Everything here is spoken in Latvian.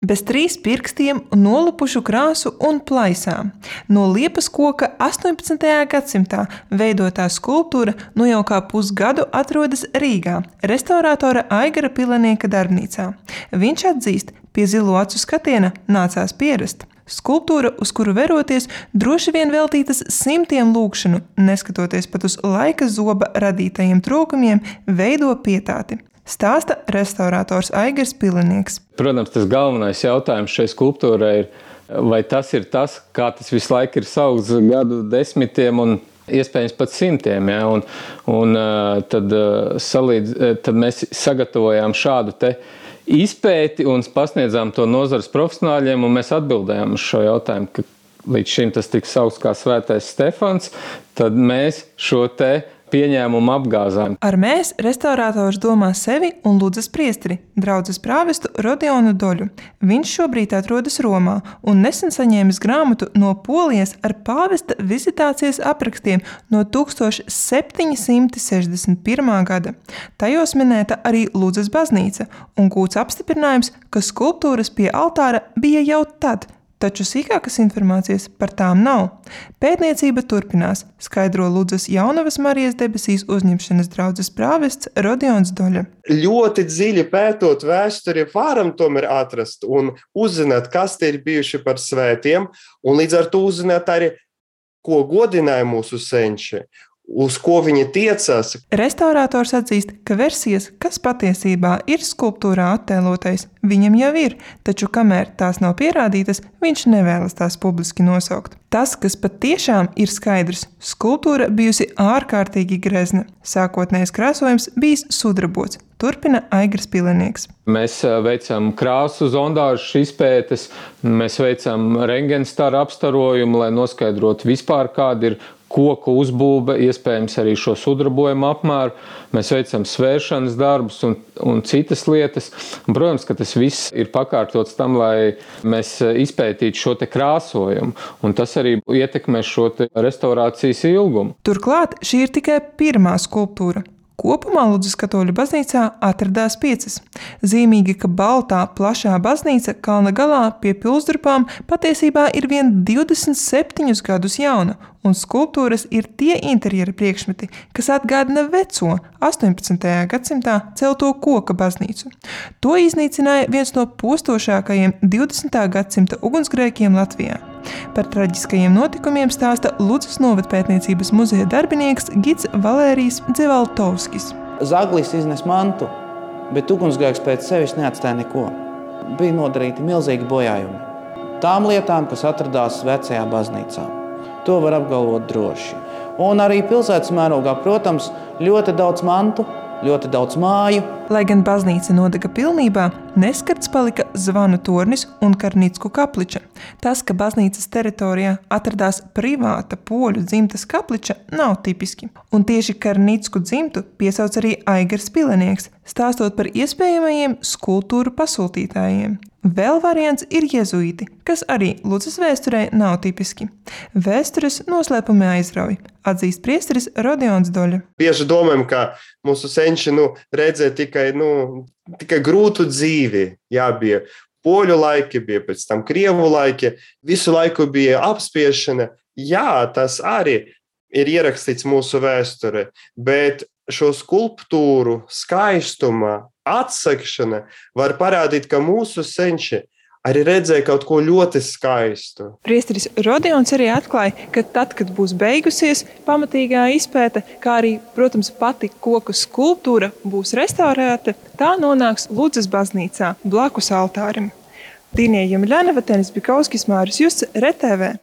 Bez 3 pirkstiem, nolupušu krāsu un plaisām. No liepas koka 18. gadsimtā veidotā skulptūra nu jau kā pusgadu atrodas Rīgā, restaurātora Aigara Pilenieka darbnīcā. Viņš atzīst, pie zilo acu skatiena nācās pierast. Skulptūra, uz kuru veroties, droši vien veltītas simtiem lūgšanu, neskatoties pat uz laika zoba radītajiem trūkumiem, veido pietāti. Stāsta restaurātors Aigars Pilenieks. Protams, tas galvenais jautājums šai skulptūrai ir, vai tas ir tas, kā tas visu laiku ir saukts gadu desmitiem un iespējams pat simtiem. Ja? Tad mēs sagatavojām šādu te izpēti un pasniedzām to nozares profesionāļiem, un mēs atbildējām uz šo jautājumu, ka līdz šim tas tika saukts kā Svētais Stefans, tad mēs šo te pieņēmumu apgāzām. Ar mēs restaurātors domā sevi un Ludzas priesteri, draudzes prāvestu Rodionu Doļu. Viņš šobrīd atrodas Romā un nesen saņēmis grāmatu no Polijas ar pāvesta vizitācijas aprakstiem no 1761. gada. Tajos minēta arī Ludzas baznīca un gūts apstiprinājums, ka skulptūras pie altāra bija jau tad, taču sīkākas informācijas par tām nav. Pētniecība turpinās, skaidro Ludzas Jaunavas Marijas debesīs uzņemšanas draudzes prāvests Rodions Doļa. Ļoti dziļi pētot vēsturi varam tomēr atrast un uzzināt, kas te ir bijuši par svētiem, un līdz ar to uzzināt arī, ko godināja mūsu senči, uz ko viņi tiecās. Restaurātors atzīst, ka versijas, kas patiesībā ir skulptūrā attēlotais, viņam jau ir, taču kamēr tās nav pierādītas, viņš nevēlas tās publiski nosaukt. Tas, kas patiešām ir skaidrs, skulptūra bijusi ārkārtīgi grezna. Sākotnējais krāsojums bijis sudrabots, turpina Aigars Pilenieks. Mēs veicam krāsu zondāžu izpētes, mēs veicam rentgenstaru apstarojumu, lai noskaidrotu vispār, kāda ir koku uzbūve, iespējams arī šo sudrabojumu apmēru. Mēs veicam svēršanas darbus un citas lietas. Un, protams, ka tas viss ir pakārtots tam, lai mēs izpētītu šo te krāsojumu. Un tas arī ietekmē šo te restaurācijas ilgumu. Turklāt šī ir tikai pirmā skulptūra. Kopumā Ludzas katoļu baznīcā atradās 5. Zīmīgi, ka baltā, plašā baznīca kalna galā pie pilsdurpām patiesībā ir vien 27 gadus jauna, un skulptūras ir tie interjera priekšmeti, kas atgādina veco 18. gadsimtā celto koka baznīcu. To iznīcināja viens no postošākajiem 20. gadsimta ugunsgrēkiem Latvijā. Par traģiskajiem notikumiem stāsta Ludzas novadpētniecības muzeja darbinieks gids Valērijs Dzevaltovskis. Zaglis iznes mantu, bet ugunsgrēks pēc sevis neatstāja neko. Bija nodarīti milzīgi bojājumi. Tām lietām, kas atradās vecajā baznīcā. To var apgalvot droši. Un arī pilsētas mērogā, protams, ļoti daudz mantu, ļoti daudz māju. Lai gan baznīca nodega pilnībā, neskarts palika Zvanu tornis un Karnicku kapliča. Tas, ka baznīcas teritorijā atradās privāta poļu dzimtas kapliča, nav tipiski. Un tieši Karnicku dzimtu piesauc arī Aigars Pilenieks, stāstot par iespējamajiem skulptūru pasūtītājiem. Vēl variants ir jezuīti, kas arī Ludzas vēsturē nav tipiski. Vēstures noslēpumi aizrauj, atzīst priesteris Rodions Doļa. Bieži domājam, ka mūsu senči redzēja tikai grūtu dzīvi. Jā, bija poļu laiki, bija pēc tam krievu laiki, visu laiku bija apspiešana. Jā, tas arī ir ierakstīts mūsu vēsturē, bet šo skulptūru skaistuma atsakšana var parādīt, ka mūsu senči arī redzēja kaut ko ļoti skaistu. Priesteris Rodions arī atklāja, ka tad, kad būs beigusies pamatīgā izpēte, kā arī, protams, pati koku skulptūra būs restaurēta, tā nonāks Ludzas baznīcā blakus altārim. Dīnija Jemļanova, Tenis Bikauskis, Māris Justs, RTV.